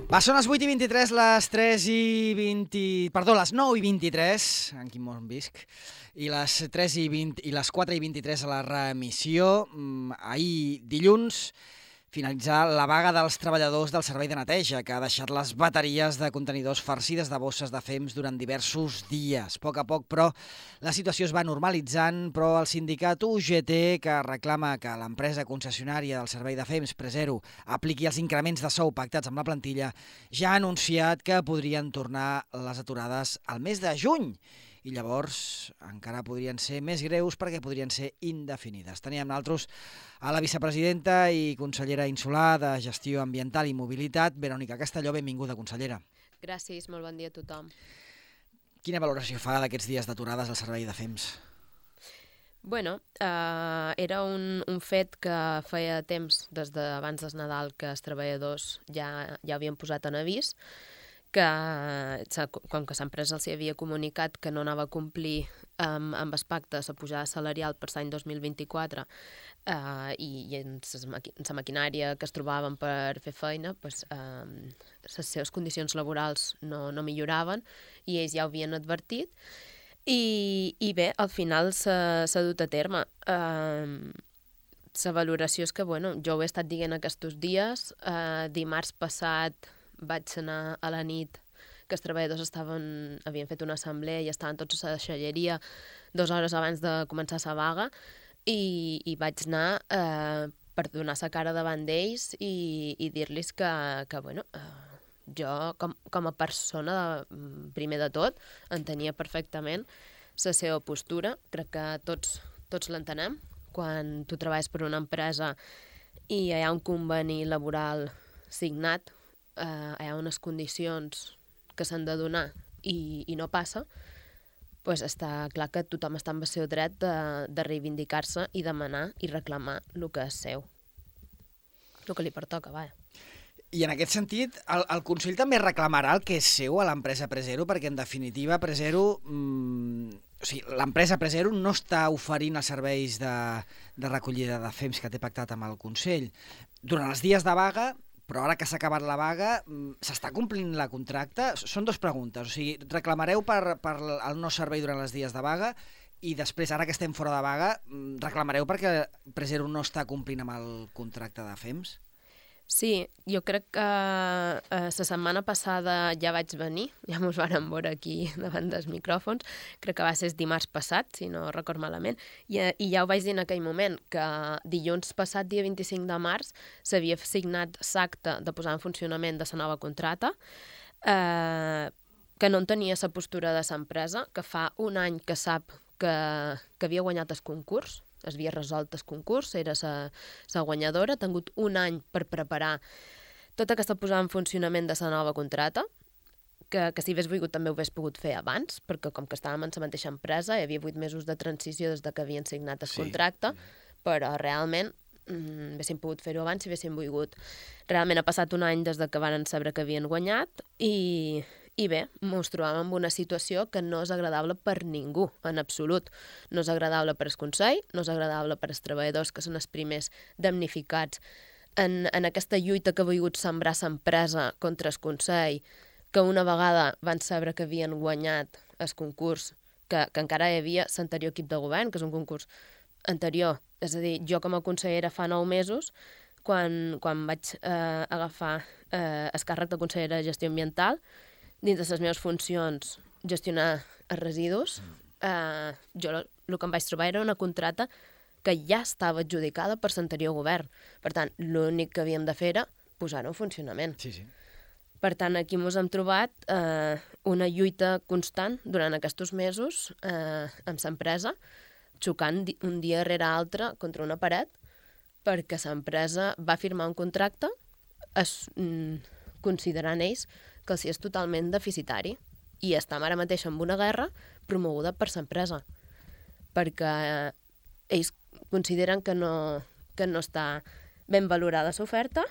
Va, són les 8:23, les 3:20... Perdó, les 9:23, en quin món visc, i les 3:20 i les 4:23 a la reemissió. Ahir, dilluns, finalitzar la vaga dels treballadors del servei de neteja, que ha deixat les bateries de contenidors farcides de bosses de fems durant diversos dies. A poc, però, la situació es va normalitzant, però el sindicat UGT, que reclama que l'empresa concessionària del servei de fems, Presero, apliqui els increments de sou pactats amb la plantilla, ja ha anunciat que podrien tornar les aturades al mes de juny. I llavors encara podrien ser més greus perquè podrien ser indefinides. Teníem nosaltres a la vicepresidenta i consellera insular de Gestió Ambiental i Mobilitat, Verònica Castelló. Benvinguda, consellera. Gràcies, molt bon dia a tothom. Quina valoració fa d'aquests dies d'aturades al servei de fems? Bueno, era un fet que feia temps, des d'abans del Nadal, que els treballadors ja havien posat en avís, que com que l'empresa els havia comunicat que no anava a complir amb els pactes a pujada salarial per l'any 2024 i en la maquinària que es trobaven per fer feina, les seves condicions laborals no milloraven i ells ja ho havien advertit. I bé, al final s'ha dut a terme. La valoració és que, bueno, jo ho he estat dient aquests dies. Dimarts passat vaig anar a la nit que els treballadors havien fet una assemblea i estaven tots a la deixalleria 2 hores abans de començar la vaga i vaig anar per donar la cara davant d'ells i dir-los que bueno, jo com a persona, primer de tot, entenia perfectament la seva postura. Crec que tots l'entenem. Quan tu treballes per una empresa i hi ha un conveni laboral signat, hi ha unes condicions que s'han de donar i no passa, doncs està clar que tothom està amb el seu dret de reivindicar-se i demanar i reclamar el que és seu. El que li pertoca, vaja. I en aquest sentit, el Consell també reclamarà el que és seu a l'empresa Presero, perquè en definitiva Presero, l'empresa Presero no està oferint els serveis de recollida de fems que té pactat amb el Consell. Durant els dies de vaga, però ara que s'ha acabat la vaga, s'està complint la contracte? Són 2 preguntes. O sigui, reclamareu per el no servei durant els dies de vaga i després, ara que estem fora de vaga, reclamareu perquè Presero no està complint amb el contracte de fems? Sí, jo crec que la setmana passada ja vaig venir, ja mos vàrem veure aquí davant dels micròfons, crec que va ser dimarts passat, si no record malament, i ja ho vaig dir en aquell moment, que dilluns passat, dia 25 de març, s'havia signat l'acte de posar en funcionament de la nova contracta, que no entenia la postura de l'empresa, que fa un any que sap que havia guanyat el concurs, es havia resolt el concurs, era la guanyadora, ha tingut un any per preparar tota aquesta posada en funcionament de la nova contracta, que si hagués volgut també ho hagués pogut fer abans, perquè com que estàvem en la mateixa empresa, hi havia 8 mesos de transició des que havien signat el contracte, però realment haguéssim pogut fer-ho abans si haguéssim volgut. Realment ha passat un any des que varen saber que havien guanyat i bé, ens trobàvem en una situació que no és agradable per ningú, en absolut. No és agradable per al Consell, no és agradable per als treballadors, que són els primers damnificats en aquesta lluita que ha volgut sembrar l'empresa contra el Consell, que una vegada van saber que havien guanyat el concurs, que encara hi havia l'anterior equip de govern, que és un concurs anterior. És a dir, jo com a consellera fa 9 mesos, quan vaig agafar el càrrec de consellera de Gestió Ambiental, dins de les meves funcions gestionar els residus, jo el que em vaig trobar era una contracta que ja estava adjudicada per l'anterior govern. Per tant, l'únic que havíem de fer era posar-ho en funcionament. Sí. Per tant, aquí ens hem trobat una lluita constant durant aquests mesos amb l'empresa, xocant un dia rere altre contra una paret, perquè l'empresa va firmar un contracte considerant ells que els és totalment deficitari i estem ara mateix en una guerra promoguda per l'empresa, perquè ells consideren que no està ben valorada l'oferta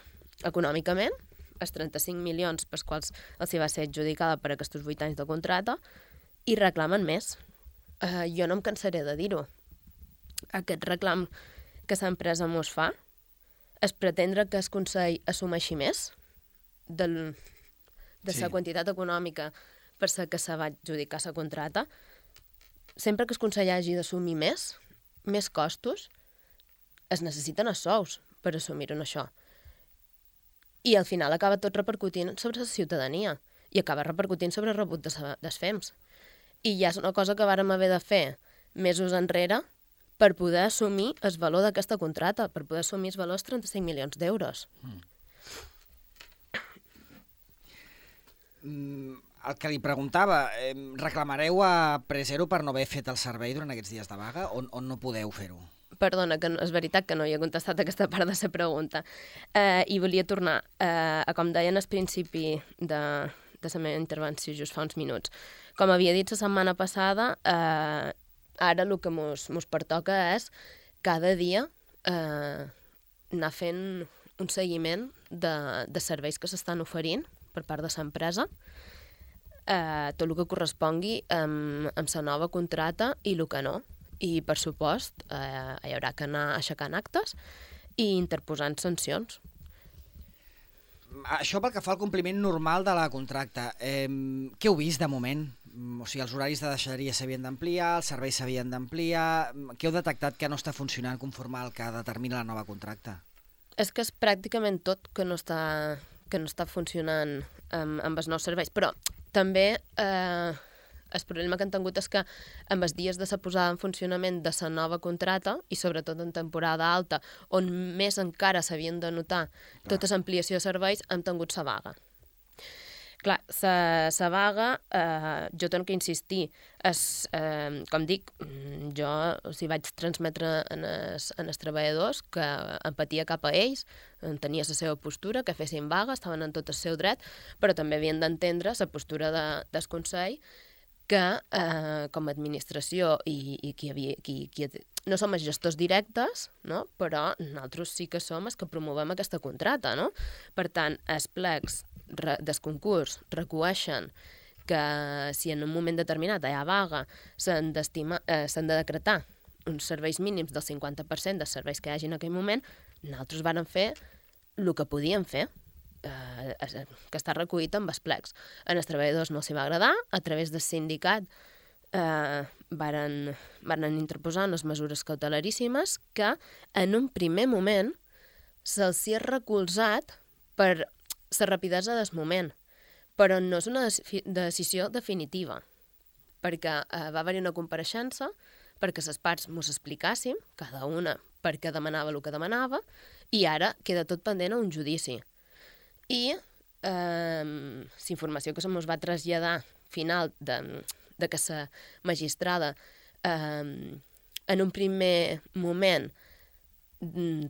econòmicament, els 35 milions pels quals els va ser adjudicada per aquests 8 anys de contracte, i reclamen més. Jo no em cansaré de dir-ho. Aquest reclam que l'empresa mos fa és pretendre que el Consell assumeixi més del de la quantitat econòmica per la que se va adjudicar la contrata, sempre que el Consell hagi d'assumir més costos, es necessiten els sous per assumir-ho això. I al final acaba tot repercutint sobre la ciutadania i acaba repercutint sobre el rebut dels FEMS. I ja és una cosa que vàrem haver de fer mesos enrere per poder assumir el valor d'aquesta contrata, per poder assumir el valor dels 35 milions d'euros. El que li preguntava, reclamareu a Presero per no haver fet el servei durant aquests dies de vaga o no podeu fer-ho? Perdona, que és veritat que no hi he contestat aquesta part de la pregunta. I volia tornar a com deien al principi de la meva intervenció just fa uns minuts. Com havia dit la setmana passada, ara el que mos pertoca és cada dia anar fent un seguiment de serveis que s'estan oferint per part de l'empresa, tot el que correspongui amb la nova contrata i el que no. I, per supost, hi haurà que anar aixecant actes i interposant sancions. Això pel que fa al compliment normal de la contracta. Què heu vist de moment? O sigui, els horaris de deixalleria s'havien d'ampliar, els serveis s'havien d'ampliar. Què heu detectat que no està funcionant conforme al que determina la nova contracta? És que és pràcticament tot que no està funcionant amb els nous serveis, però també el problema que han tingut és que amb els dies de la posada en funcionament de la nova contrata, i sobretot en temporada alta, on més encara s'havien de notar tota l'ampliació de serveis, han tingut la vaga. Clar, la vaga, jo tenc que insistir, com dic, jo els vaig transmetre als treballadors que empatia cap a ells, tenia la seva postura, que fessin vaga, estaven en tot el seu dret, però també havien d'entendre la postura del Consell, que com a administració i no som els gestors directes, no? Però nosaltres sí que som els que promovem aquesta contrata. No? Per tant, els plecs del concurs recueixen que si en un moment determinat hi ha vaga s'han de decretar uns serveis mínims del 50% dels serveis que hi hagi en aquell moment, nosaltres vàrem fer el que podíem fer, que està recollit amb els plecs. En els treballadors no s'hi va agradar, a través del sindicat varen interposar unes mesures cautelaríssimes que en un primer moment se'ls ha recolzat per la rapidesa del moment, però no és una decisió definitiva, perquè va haver-hi una compareixença perquè les parts mos explicàssim, cada una perquè demanava el que demanava, i ara queda tot pendent a un judici. I la informació que se mos va traslladar final de que la magistrada en un primer moment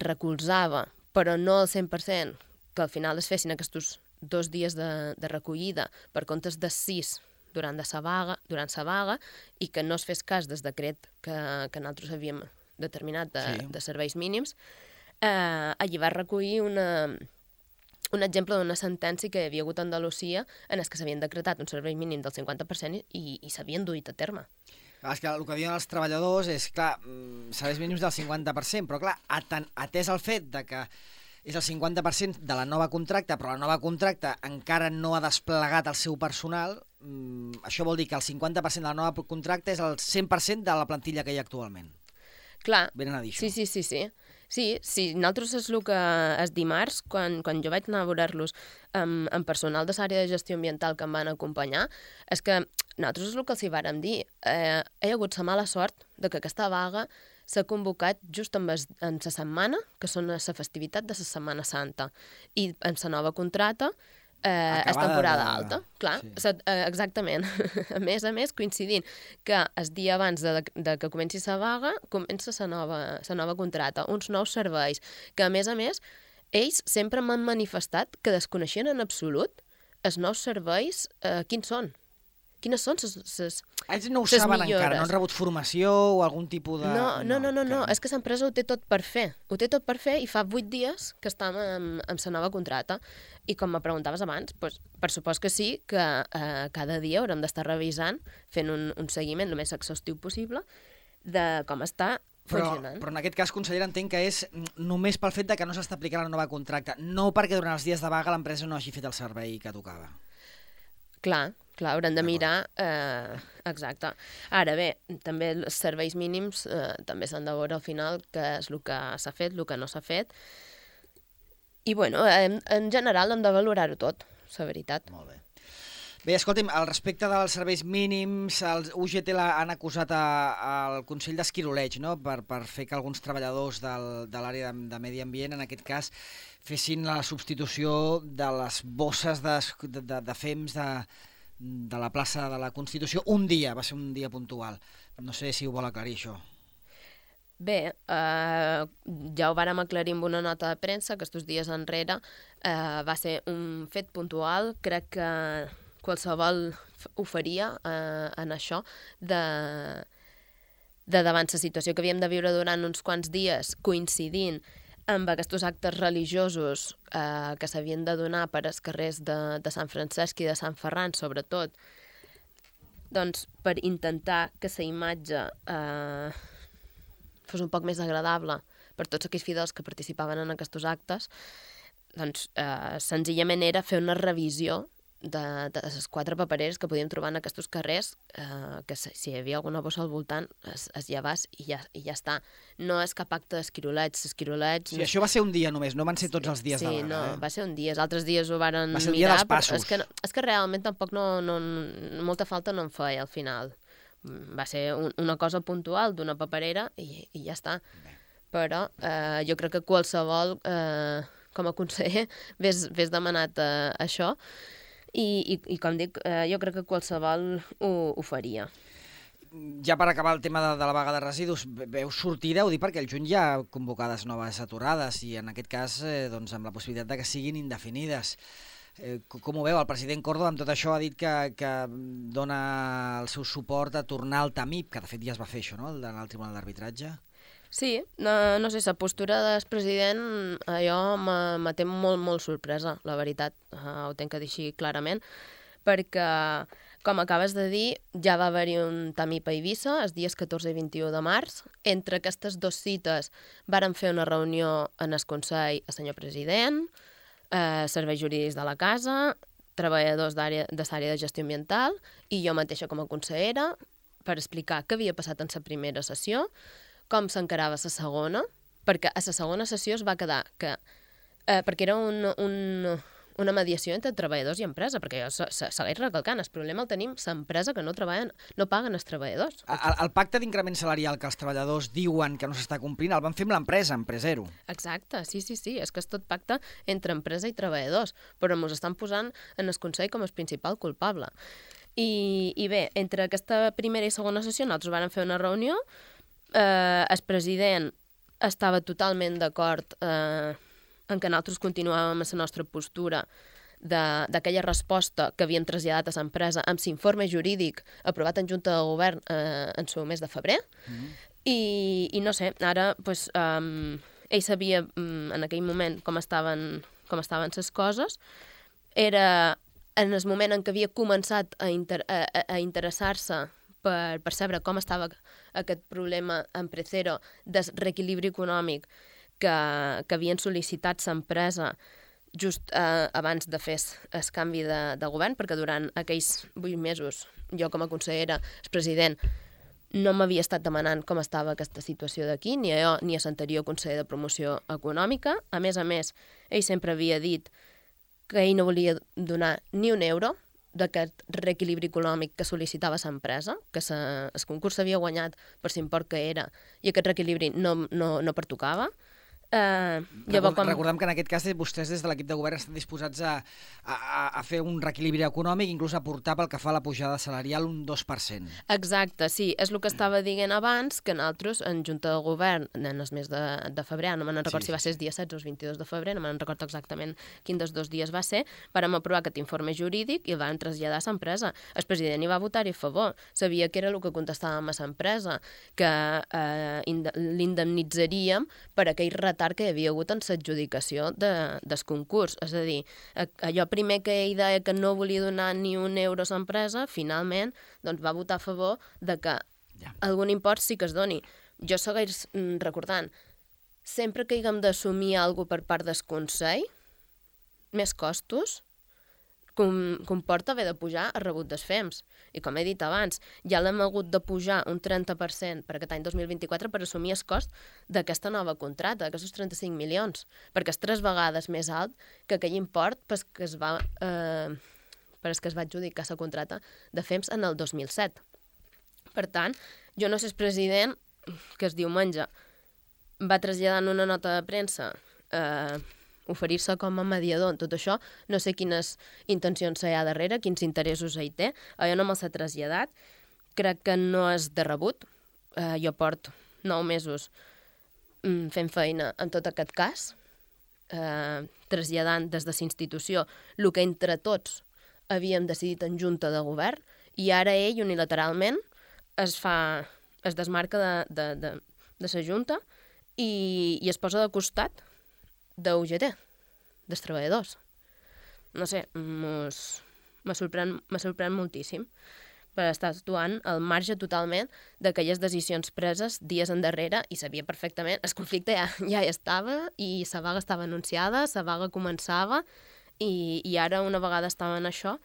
recolzava, però no al 100%, que al final es fessin aquests 2 dies de recollida per comptes de 6 durant la vaga i que no es fes cas del decret que nosaltres havíem determinat de serveis mínims, allí va recollir un exemple d'una sentència que hi havia hagut a Andalusia en què s'havien decretat un servei mínim del 50% i s'havien duit a terme. És que el que diuen els treballadors és, clar, serveis mínims del 50%, però clar, atès el fet de que és el 50% de la nova contracta, però la nova contracta encara no ha desplegat el seu personal, això vol dir que el 50% de la nova contracta és el 100% de la plantilla que hi ha actualment. Clar, venen a dir això. Sí, nosaltres és el que és dimarts, quan jo vaig anar a veure-los amb personal de l'àrea de gestió ambiental que em van acompanyar, és que nosaltres és el que els hi vàrem dir. Hi ha hagut la mala sort de que aquesta vaga s'ha convocat just en la setmana, que són la festivitat de la Setmana Santa, i en la nova contrata és temporada alta. Clar, sí. Exactament. A més, coincidint que el dia abans de que comenci la vaga, comença la nova contrata, uns nous serveis, que a més, ells sempre m'han manifestat que desconeixien en absolut els nous serveis, quins són. Quines són les ells no ho saben millores. Encara, no han rebut formació o algun tipus de... No, és que l'empresa ho té tot per fer. Ho té tot per fer i fa 8 dies que estem amb la nova contrata. I com me preguntaves abans, doncs, per supost que sí, que cada dia haurem d'estar revisant, fent un seguiment el més exhaustiu possible de com està funcionant. Però en aquest cas, consellera, entenc que és només pel fet de que no s'està aplicant la nova contracta, no perquè durant els dies de vaga l'empresa no hagi fet el servei que tocava. Clar, haurem de mirar... exacte. Ara bé, també els serveis mínims també s'han de veure al final què és el que s'ha fet, el que no s'ha fet. I, bueno, en general hem de valorar-ho tot, la veritat. Molt bé. Bé, escolti'm, al respecte dels serveis mínims, els UGT han acusat al Consell d'Esquiroleig, no?, per fer que alguns treballadors de l'àrea de medi ambient, en aquest cas, fessin la substitució de les bosses de fems de la plaça de la Constitució un dia, va ser un dia puntual. No sé si ho vol aclarir, això. Bé, ja ho vàrem aclarir amb una nota de premsa, que aquests dies enrere va ser un fet puntual. Crec que qualsevol ho faria en això de davant la situació que havíem de viure durant uns quants dies, coincidint amb aquests actes religiosos que s'havien de donar per als carrers de Sant Francesc i de Sant Ferran, sobretot, doncs per intentar que la imatge fos un poc més agradable per tots aquells fidels que participaven en aquests actes, doncs senzillament era fer una revisió de les 4 papereres que podíem trobar en aquests carrers, que si hi havia alguna bossa al voltant es llevàs i ja està. No és cap acte d'esquiroleig. Sí, això va ser un dia només, no van ser tots els dies de vaga. Sí, no, va ser un dia. Els altres dies ho varen mirar. Va ser el dia dels passos. És que realment tampoc molta falta no en feia al final. Va ser una cosa puntual d'una paperera i ja està. Però jo crec que qualsevol, com a conseller, ves demanat això. I com dic, jo crec que qualsevol ho faria. Ja per acabar el tema de la vaga de residus, veu sortida, ho dic perquè el juny hi ha convocades noves aturades i en aquest cas doncs, amb la possibilitat de que siguin indefinides. Com ho veu? El president Córdoba amb tot això ha dit que dona el seu suport a tornar al TAMIP, que de fet ja es va fer això, no?, al Tribunal d'Arbitratge. Sí, no sé, la postura del president allò me té molt sorpresa, la veritat, ho tenc que dir així clarament, perquè, com acabes de dir, ja va haver-hi un TAMIP a Eivissa els dies 14 i 21 de març. Entre aquestes 2 cites varen fer una reunió en el Consell el senyor president, serveis jurídics de la casa, treballadors de l'àrea de gestió ambiental i jo mateixa com a consellera per explicar què havia passat en la primera sessió, com s'encarava la segona, perquè a la segona sessió es va quedar que... perquè era una mediació entre treballadors i empresa, perquè jo segueix recalcant, el problema el tenim l'empresa que no paguen els treballadors. El pacte d'increment salarial que els treballadors diuen que no s'està complint el van fer amb l'empresa, Empresero. Exacte, sí, és que és tot pacte entre empresa i treballadors, però ens estan posant en el Consell com el principal culpable. I bé, entre aquesta primera i segona sessió nosaltres vam fer una reunió. El president estava totalment d'acord en que nosaltres continuàvem amb la nostra postura d'aquella resposta que havíem traslladat a l'empresa amb l'informe jurídic aprovat en Junta de Govern en el mes de febrer. I no sé, ara pues, ell sabia en aquell moment com estaven les coses. Era en el moment en què havia començat a interessar-se per saber com estava aquest problema Empresero de reequilibri econòmic que havien sol·licitat l'empresa just abans de fer el canvi de govern, perquè durant aquells 8 mesos jo com a consellera, el president, no m'havia estat demanant com estava aquesta situació d'aquí, ni a jo ni a l'anterior conseller de promoció econòmica. A més, ell sempre havia dit que ell no volia donar ni un euro d'aquest reequilibri econòmic que sol·licitava l'empresa, que el concurs s'havia guanyat per l'import que era i aquest reequilibri no pertocava. Recordem que en aquest cas vostès des de l'equip de govern estan disposats a fer un reequilibri econòmic, inclús a portar pel que fa a la pujada salarial un 2%. Exacte, sí, és el que estava dient abans, que nosaltres en Junta de Govern en el mes de febrer, no me'n recordo si va ser el dia 16 o el 22 de febrer, no me'n recordo exactament quin dels 2 dies va ser, vàrem aprovar aquest informe jurídic i el vam traslladar a l'empresa. El president hi va votar-hi a favor, sabia que era el que contestàvem a l'empresa, que l'indemnitzaríem per aquell retard que hi havia hagut en l'adjudicació del concurs. És a dir, allò primer que ell deia que no volia donar ni un euro a l'empresa, finalment doncs, va votar a favor de que algun import sí que es doni. Jo segueix recordant, sempre que haguem d'assumir alguna cosa per part del Consell, més costos, comporta haver de pujar el rebut dels FEMS. I com he dit abans, ja l'hem hagut de pujar un 30% per aquest any 2024 per assumir el cost d'aquesta nova contracta, d'aquests 35 milions, perquè és 3 vegades més alt que aquell import per que es va adjudicar la contracta de FEMS en el 2007. Per tant, jo no sé el president que es diumenge va traslladar en una nota de premsa oferir-se com a mediador en tot això, no sé quines intencions hi ha darrere, quins interessos hi té, jo no me'ls he traslladat, crec que no és de rebut, jo porto 9 mesos fent feina en tot aquest cas, traslladant des de la institució el que entre tots havíem decidit en junta de govern, i ara ell unilateralment es desmarca de la junta i es posa de costat de UGT, dels treballadors. No sé, me sorprèn moltíssim per estar actuant al marge totalment d'aquelles decisions preses dies endarrere i sabia perfectament, el conflicte ja hi estava i la vaga estava anunciada, la vaga començava i ara una vegada estava en això,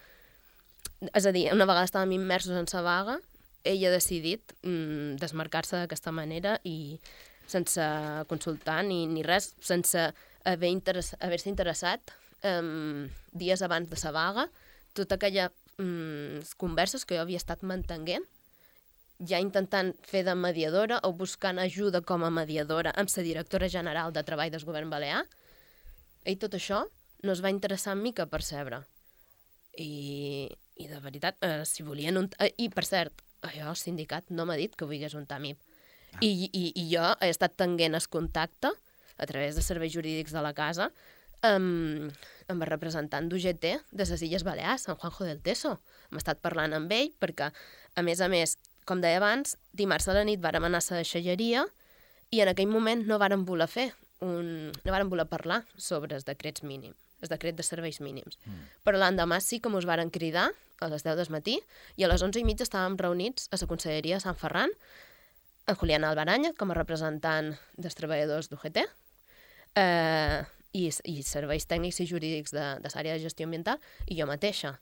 és a dir, una vegada estàvem immersos en la vaga, ell ha decidit desmarcar-se d'aquesta manera i sense consultar ni res, sense haver-se interessat dies abans de la vaga, tota aquella converses que jo havia estat mantenint, ja intentant fer de mediadora o buscant ajuda com a mediadora amb la directora general de Treball del Govern Balear, i tot això no es va interessar en mi que percebre. I de veritat, si volien I, per cert, el sindicat no m'ha dit que volgués un TAMIP. I jo he estat tenint el contacte a través de serveis jurídics de la casa amb el representant d'UGT de les Illes Balears, en Juanjo del Teso. Hem estat parlant amb ell perquè, a més, com deia abans, dimarts a la nit vàrem anar a la deixalleria i en aquell moment no vàrem voler parlar sobre els decrets mínims, el decret de serveis mínims. Però l'endemà sí que mos varen cridar a les 10 del matí i a les 11:30 estàvem reunits a la Conselleria de Sant Ferran, en Julián Albaranya com a representant dels treballadors d'UGT, i serveis tècnics i jurídics de l'àrea de gestió ambiental, i jo mateixa.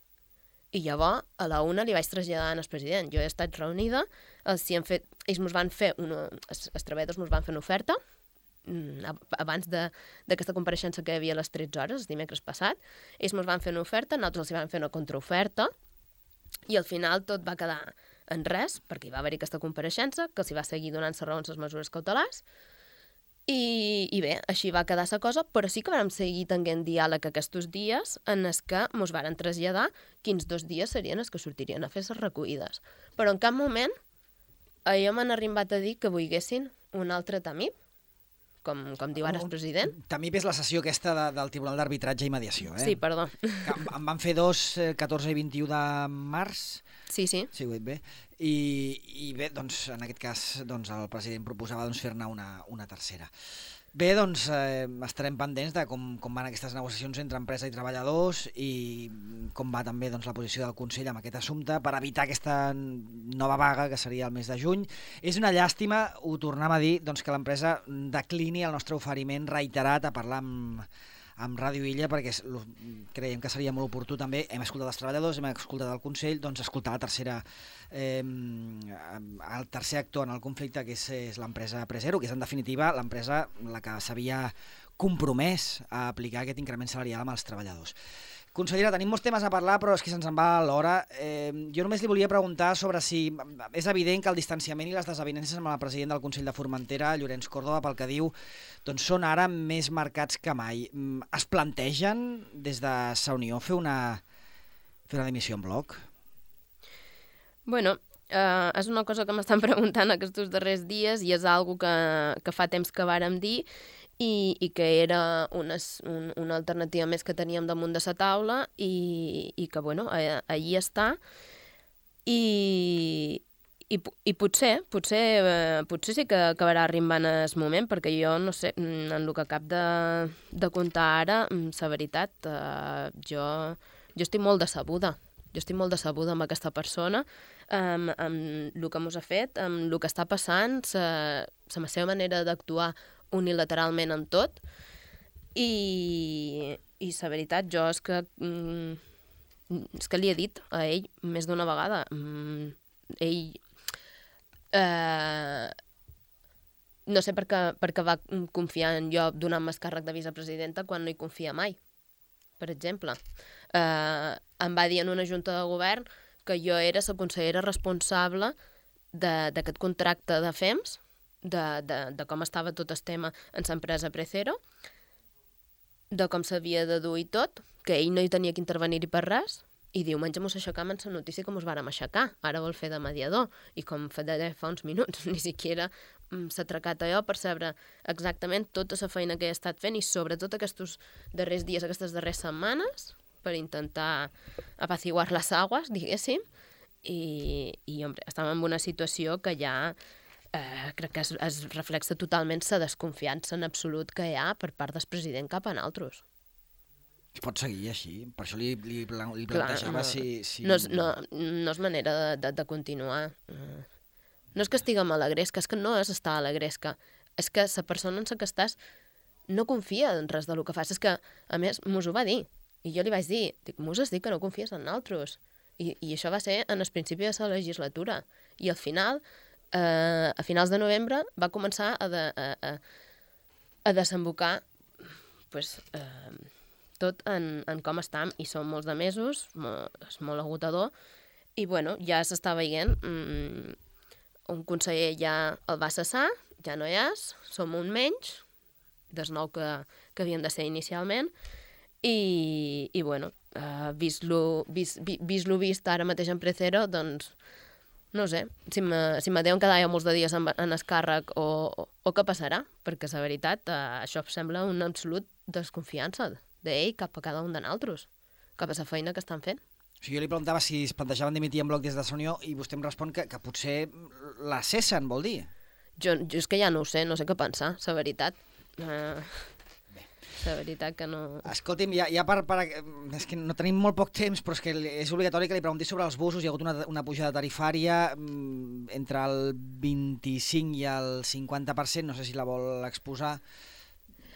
I llavors, a la 1 li vaig traslladar al president. Jo he estat reunida, els treballadors ens van fer una oferta, abans d'aquesta compareixença que hi havia a les 13 hores, el dimecres passat, ells ens van fer una oferta, nosaltres els van fer una contraoferta, i al final tot va quedar en res, perquè hi va haver aquesta compareixença, que s'hi va seguir donant raons les mesures cautelars, i bé, així va quedar la cosa, però sí que vam seguir tenint diàleg aquests dies en els que ens varen traslladar quins 2 dies serien els que sortirien a fer les recollides. Però en cap moment jo m'han arribat a dir que volguessin un altre TAMIP, com diu ara el president. TAMIP és la sessió aquesta del Tribunal d'Arbitratge i Mediació, Sí, perdó. En van fer 2, 14 i 21 de març. Sí. Sí, ho he dit bé. I bé, doncs, en aquest cas, doncs, el president proposava fer-ne una tercera. Bé, doncs, estarem pendents de com van aquestes negociacions entre empresa i treballadors i com va també la posició del Consell amb aquest assumpte per evitar aquesta nova vaga que seria el mes de juny. És una llàstima, ho tornem a dir, que l'empresa declini el nostre oferiment reiterat a parlar amb Ràdio Illa, perquè creiem que seria molt oportú també. Hem escoltat els treballadors, hem escoltat el Consell, doncs escoltar el tercer actor en el conflicte, que és l'empresa Presero, que és en definitiva l'empresa la que s'havia compromès a aplicar aquest increment salarial amb els treballadors. Consellera, tenim molts temes a parlar, però és que se'ns en va l'hora. Jo només li volia preguntar sobre si és evident que el distanciament i les desavinences amb el president del Consell de Formentera, Llorenç Córdoba, pel que diu, doncs són ara més marcats que mai. Es plantegen des de la Unió fer una dimissió en bloc? Bueno, és una cosa que m'estan preguntant aquests darrers dies i és una que fa temps que vàrem dir i que era una alternativa més que teníem damunt de la taula i que, bueno, allí està. I potser sí que acabarà arribant el moment, perquè jo no sé, en el que acab de contar ara, la veritat, jo estic molt decebuda. Jo estic molt decebuda amb aquesta persona, amb el que mos ha fet, amb el que està passant, la seva manera d'actuar unilateralment en tot, i la veritat, jo és que és que li he dit a ell més d'una vegada, ell no sé per què va confiar en jo donant-me el càrrec de vicepresidenta quan no hi confia mai, per exemple. Em va dir en una junta de govern que jo era la consellera responsable d'aquest contracte de FEMS, de com estava tot el tema en l'empresa Precero, de com s'havia de dur i tot, que ell no hi tenia que intervenir-hi per res, i diumenge mos aixecam en la notícia que mos vàrem aixecar. Ara vol fer de mediador, i com deia fa uns minuts, ni siquiera s'ha atracat allò per saber exactament tota la feina que he estat fent i sobretot aquests darrers dies, aquestes darreres setmanes, per intentar apaciguar les aguas, diguéssim, i hombre, estàvem en una situació que ja crec que es reflexa totalment la desconfiança en absolut que hi ha per part del president cap a nosaltres. Es pot seguir així? Per això li plantejava si... No és manera de continuar. No és que estiguem a la gresca, és que no és estar a la gresca. És que la persona en la que estàs no confia en res del que fas. És que, a més, mos ho va dir. I jo li vaig dir, mos has dit que no confies en nosaltres. I això va ser en el principi de la legislatura. I al final, a finals de novembre, va començar a desembocar tot en com estam, i són molts de mesos, és molt agotador, i bueno, ja s'està veient, un conseller ja el va cessar, ja no hi és, som un menys, dels 9 que havien de ser inicialment, i bueno, vist lo vist ara mateix en Precero, doncs, no sé, si me deuen quedar ja molts de dies en el càrrec o què passarà, perquè la veritat, això em sembla una absolut desconfiança d'ell cap a cada un de nosaltres, cap a la feina que estan fent. O sigui, jo li preguntava si es plantejaven dimitir en bloc des de la Unió i vostè em respon que potser la cessen, vol dir? Jo és que ja no ho sé, no sé què pensar, la veritat. La veritat que no... Escolti'm, ja és que no tenim molt poc temps, però és que és obligatori que li pregunti sobre els busos. Hi ha hagut una pujada tarifària entre el 25 i el 50%, no sé si la vol exposar.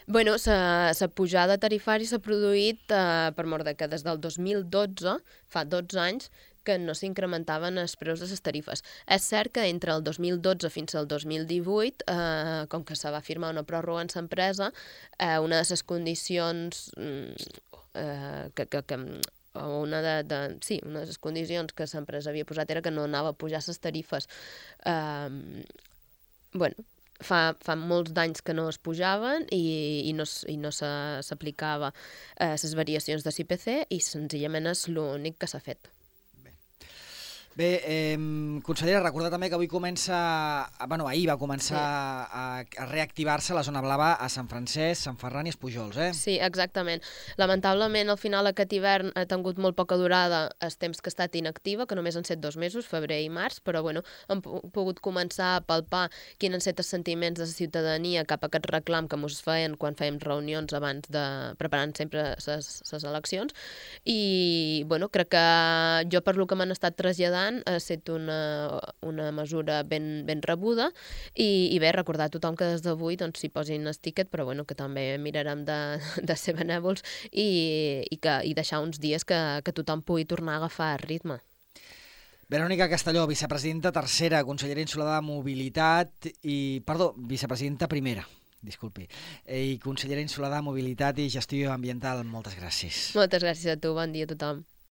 Bueno, la pujada tarifària s'ha produït per mort de que des del 2012, fa 12 anys, que no s'incrementaven els preus de les tarifes. És cert que entre el 2012 fins al 2018, com que se va firmar una pròrroga en l'empresa, una de les condicions una de les condicions que l'empresa havia posat era que no anava a pujar les tarifes. Bueno, fa molts d'anys que no es pujaven i no s'aplicava les variacions de l'IPC i senzillament és l'únic que s'ha fet. Bé, consellera, recordar també que avui ahir va començar a reactivar-se la zona blava a Sant Francesc, Sant Ferran i Espujols, eh? Sí, exactament. Lamentablement, al final aquest hivern ha tingut molt poca durada el temps que ha estat inactiva, que només han set 2 mesos, febrer i març, però bueno, hem pogut començar a palpar quins han set els sentiments de la ciutadania cap a aquest reclam que ens feien quan fèiem reunions abans preparant sempre les eleccions. I bueno, crec que jo per lo que m'han estat traslladant ha estat una mesura ben rebuda i bé, recordar a tothom que des d'avui s'hi posin el tiquet, però bueno, que també mirarem de ser benèvols i deixar uns dies que tothom pugui tornar a agafar ritme. Verònica Castelló, vicepresidenta tercera, consellera insulada de Mobilitat vicepresidenta primera, disculpi, i consellera insulada de Mobilitat i Gestió Ambiental. Moltes gràcies. Moltes gràcies a tu, bon dia a tothom.